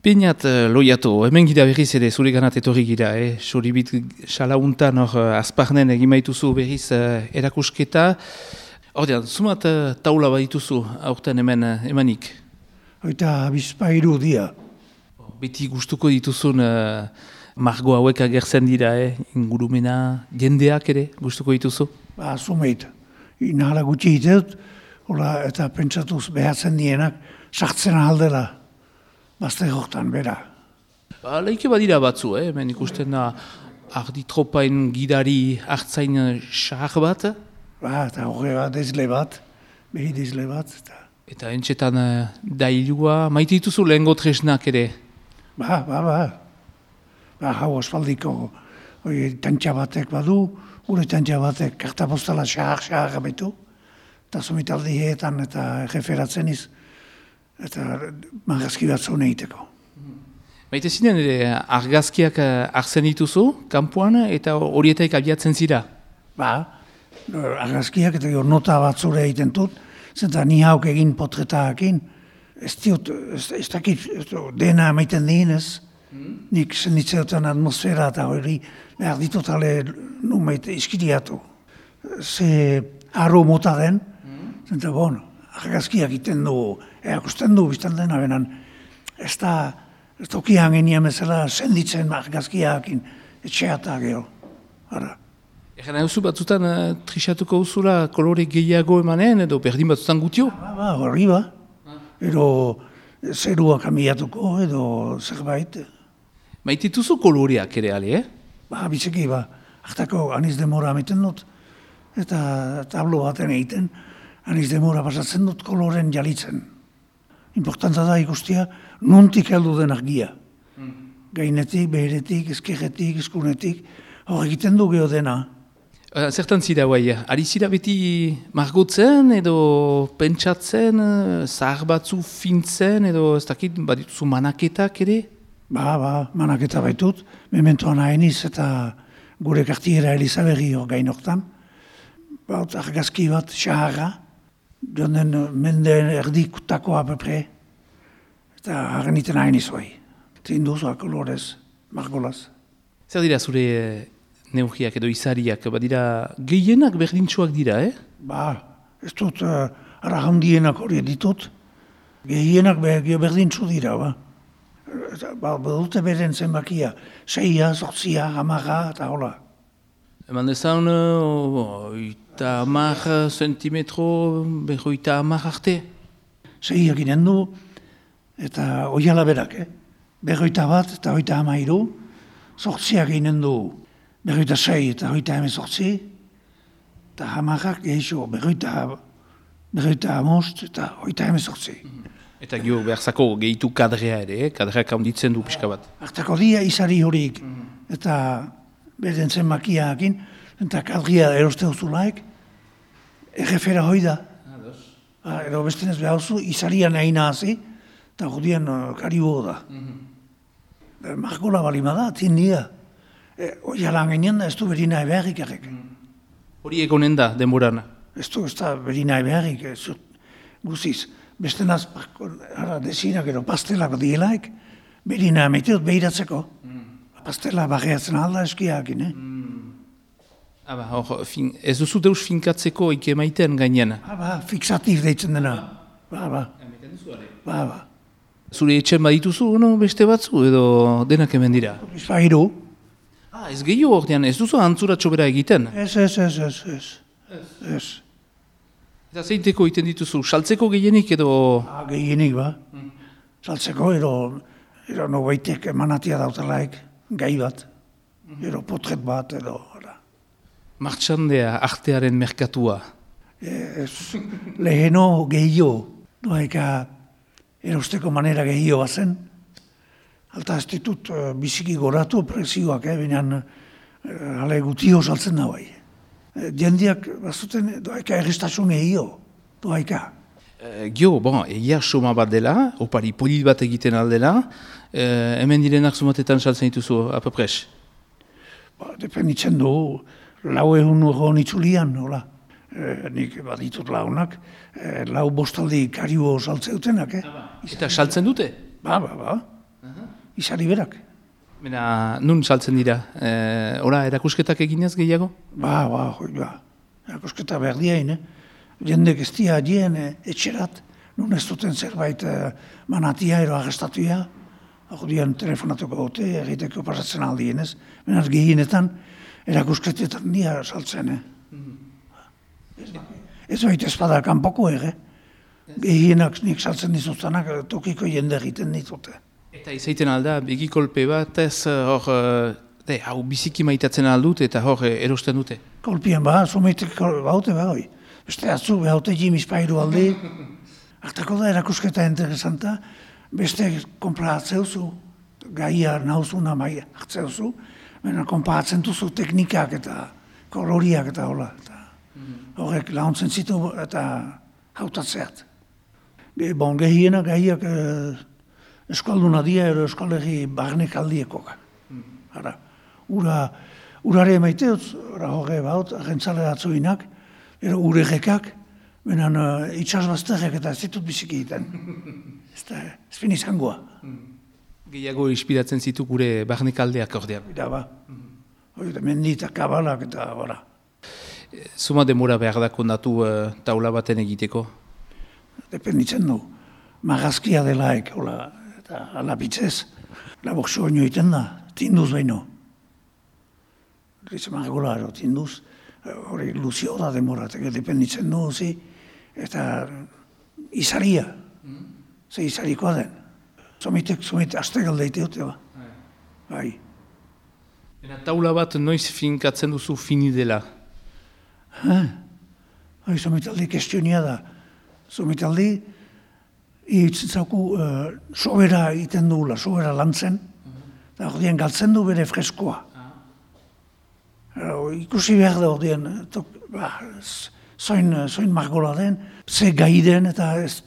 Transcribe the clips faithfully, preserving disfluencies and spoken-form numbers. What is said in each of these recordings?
Peinat, loiatu, hemen gira berriz ere zure ganat etorri gira, eh? Soribit salauntan hor azparnen egin baituzu berriz uh, erakusketa. Ordean, zumat uh, taula badituzu aurten hemen uh, emanik? Eta bizpairu dia. Beti gustuko dituzun uh, margo hauek agertzen dira, eh? Ingurumena, jendeak ere gustuko dituzu? Ba, zumeit. Inahala gutxi hitut, eta pentsatuz behatzen dienak, sartzen aldela. Bazte hortan, bera. Ba, leike badira batzu, eh? Hemen ikusten da arditropain gidari hartzain xahar bat. Ba, eta horre bat, dezle bat, behi dezle bat. Eta, eta entxetan uh, dailua, maite dituzu lehengo tresnak ere? Ba, ba, ba. Ba, hau ospaldiko, oi, tantxa batek badu, gure tantxa batek kartapostala xahar-xahar gabetu, eta somitaldi heetan eta referatzen iz, eta margazki bat zuen egiteko. Maite zinen ere argazkiak hartzen dituzu, kanpoan, eta horietaik abiatzen zira? Ba, argazkiak eta nota bat zure egiten dut, zenta ni hauk egin potretakin, ez diot, ez, ez dakit, dena maiten dienez, hmm? Nik zenitzeotan atmosfera eta hori behar ditut ale numeit iskiriatu. Ze arro mota den, hmm? Zenta bon, argazkiak iten du, erakusten du biztan dena benan, ez da, ez tokian genian bezala senditzen argazkiakin etxeata gero. Ara. Egen hauzu batzutan uh, trixatuko uzula kolore gehiago emanen edo berdin batzutan gutio? Ba, ba, horri ba. Edo zerua kamiatuko edo zerbait. Maitituzu koloreak ere ale, eh? Ba, bizeki ba. Artako aniz demora ameten dut. Eta tablo baten egiten, aniz demora pasatzen dut koloren jalitzen. Importanta da ikustia, nuntik heldu den argia. Mm. Gainetik, beheretik, eskerretik, eskunetik, hor egiten du geho dena. Uh, zertan zira guai, ari zira beti margotzen edo pentsatzen, zahar batzu fintzen edo ez dakit badituzu manaketak ere? Ba, ba, manaketa baitut, mementoan hainiz eta gure kartiera Elizaberri hor gainoktan. Ba, argazki bat, xaharra, jonden mende erdikutakoa apepre, eta haren iten hain izoi. Zein duzua kolorez, margolaz. Zer dira zure neugiak edo izariak, badira gehienak berdintxoak dira, eh? Ba, ez dut, uh, ara handienak hori ditut, gehienak berdintxu dira, ba. Ba, badute beren zenbakia, seia, zortzia, hamarra, eta hola. Eman dezan, oita hamar zentimetro, berroita hamar arte? Seiak inen du, eta oiala berak, eh? Berroita bat eta oita hamairu, zortziak inen du, berroita sei eta oita heme zortzi, eta hamarrak gehiago, berroita, berroita hamost eta oita heme zortzi. Eta gio beharzako gehitu kadrea ere, eh? Kadreak handitzen du pixka bat. Artako dia izari horik, eta beren zenbakiakin, eta kadria eroste duzulaik, errefera hoi da. Ah, ero bestenez behar zu, izarian egina hazi, eta judian uh, karibo da. Mm-hmm. Margola balima da, tindia. E, Oialan ginen da, ez du berina ebeharrik errek. Hori egonen da, denboran? Ez du, ez da berina ebeharrik, guziz. Bestenaz, ara, desinak edo pastelako dielaik, berina emeteot behiratzeko. Mm. Pastela barriatzen alda eskiakin, eh? Mm. Aba, hor, fin, ez duzu deus finkatzeko ike maiten gainean? Aba, fixatif deitzen dena. Ba, ba. Ba, ba. Zure etxen badituzu, no, beste batzu, edo denak hemen dira? Bizpairu. Ah, ez gehiago ordean, ez duzu antzuratxo bera egiten? Ez, ez, ez, ez, ez. Ez. Eta zeiteko egiten dituzu, saltzeko gehienik edo? Ah, gehienik, ba. Mm. Saltzeko, edo, edo no baitek emanatia dautelaik, gai bat. Edo potret bat, edo, ora. Martxandea, artearen merkatua? Ez, leheno gehio, doaika erosteko manera gehio bazen. Alta ez ditut uh, biziki goratu prezioak, eh, binean uh, ale gutio saltzen da bai. E, jendiak bazuten doaika errestasun gehio, doaika. E, gio, bon, egia soma bat dela, opari polit bat egiten aldela, e, hemen direnak zumatetan saltzen dituzu, apapres? Ba, dependitzen du, lau egun egon itzulian, hola. E, nik baditut launak, e, lau bostaldi kario saltze dutenak, eh? Eta saltzen dute? Ba, ba, ba. izari berak. Bena, nun saltzen dira? E, ora, erakusketak eginez gehiago? Ba, ba, hoi, ba. Erakusketa behar diain, eh? Jendek ez dia dien eh, etxerat, nun ez duten zerbait eh, manatia ero agestatuia, hau dian telefonatuko gote, egiteko pasatzen aldien, ez? Benaz gehienetan, erakusketetan dia saltzen, eh? Ez, ez baita espada kanpoko ere, gehienak nik saltzen dizuztanak tokiko jende egiten ditute. Eta izaiten alda, begikolpe bat ez hor, de, hau biziki maitatzen aldut eta hor erosten dute. Kolpien ba, zumeitek baute ba, hoi. Beste atzu, behaute jimiz pairu aldi, hartako da erakusketa interesanta, beste konparatzeuzu, gaia nauzuna mai hartzeuzu, baina konparatzen duzu teknikak eta koloriak eta hola. Eta horrek launtzen zitu eta hautatzeat. Ge, bon, gehiena gaiak eh, eskalduna dia ero eskalegi barnek aldiekoak. Ara, ura, urare emaiteutz, ora horre baut, agentzale atzuinak, ero uregekak, benen uh, itxasbazterrek eta ez ditut biziki egiten. Ez da, ez fin izangoa. Gehiago inspiratzen zitu gure barnekaldeak ordean. Bida ba, hori da mendi eta kabalak eta bora. Zuma demora behar da kondatu uh, taula baten egiteko? Dependitzen du, magazkia delaek, hola, eta alabitzez, labok soño egiten da, tinduz behin. Gritz margola, ero, tinduz, hori luzio da demora, eta dependitzen du, zi, eta izaria, ze izarikoa den. Zomitek, zomitek, aste galdeite dute, ba. Bai. Eta taula bat noiz finkatzen duzu fini dela? Ha? Hoi, zomitaldi kestionia da. Zomitaldi, hitzen zauku, uh, sobera iten duela, sobera lantzen, eta hori galtzen du bere freskoa. Uh, ikusi behar da hori, ba, zoin, zoin margola den, ze gai den, eta ez,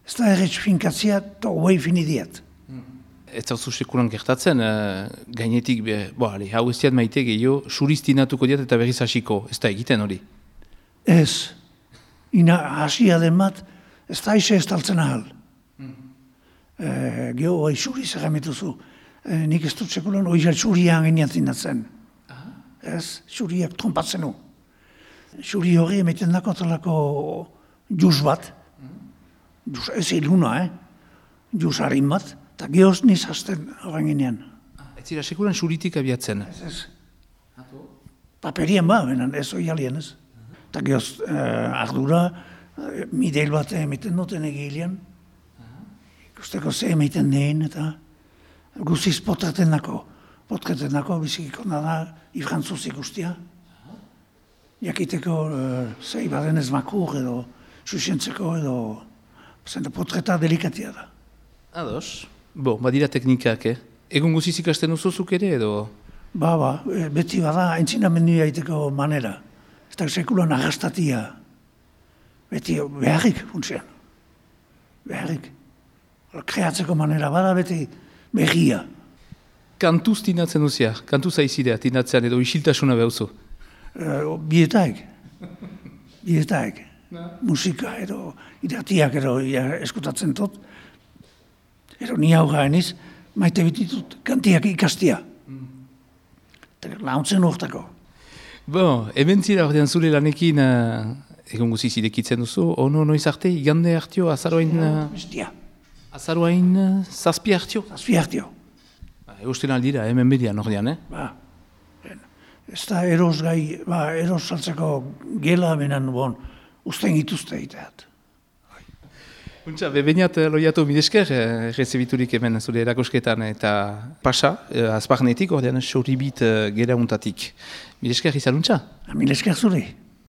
ez da erretz finkatzia, eta hoi finidiat. Ez zauzu sekulan gertatzen, uh, gainetik, be, bo, ale, hau ez diat maite gehiago, suristinatuko diat eta berriz hasiko, ez da egiten hori? Ez, ina hasia den bat, ez da ize ez taltzen ahal. Mm. E, Geho, oi suriz egametuzu, e, nik ez dut sekulan, oi suriak eniatzen datzen. Ez, suriak trompatzen du. Suri hori emeten dako talako juz bat, juz ez iluna, eh? Juz harin bat, eta gehoz niz hasten horren ginean. Ez zira sekulan suritik abiatzen? Ez, ez. Paperien ba, benen, ez oi alien ez. Eta gehoz eh, ardura, eh, mideil bat emeten duten egilean, ikusteko ze emeten dein, eta guziz potreten dako. Potreten dako, bizikiko da, ifrantzuz ikustia. Jakiteko uh, zei baden ez makur edo, susientzeko edo, zente potreta delikatia da. Ados. Bo, badira teknikak, eh? Egun guziz ikasten duzuzuk ere edo? Ba, ba, beti bada, entzinamendu egiteko manera. Ez da sekulan agastatia. Beti beharrik funtzioan. Beharrik. Kreatzeko manera bada, beti berria. Kantuz tinatzen duzia, kantuz aizidea tinatzean edo isiltasuna behuzu? Uh, bietaik. Bietaik. Musika edo iratiak edo eskutatzen dut. Ero ni hau gaeniz, maite bititut kantiak ikastia. Mm. Launtzen urtako. Bo, eben zira ordean zure lanekin, uh, egon guziz irekitzen duzu, ono noiz arte, igande hartio, azaroain... Uh, Bestia. Azaroain uh, zazpi hartio? Zazpi hartio. Eusten aldira, hemen bedian ordean, eh? Ba, ez da eros gai, ba, eros saltzeko gela benen, bon, usten gituzte egiteat. Untxa, bebeñat loiatu midesker, eh, rezebiturik hemen zure erakusketan eta pasa, eh, azparnetik, ordean xoribit eh, gera untatik. Midesker izaluntza? Midesker zure.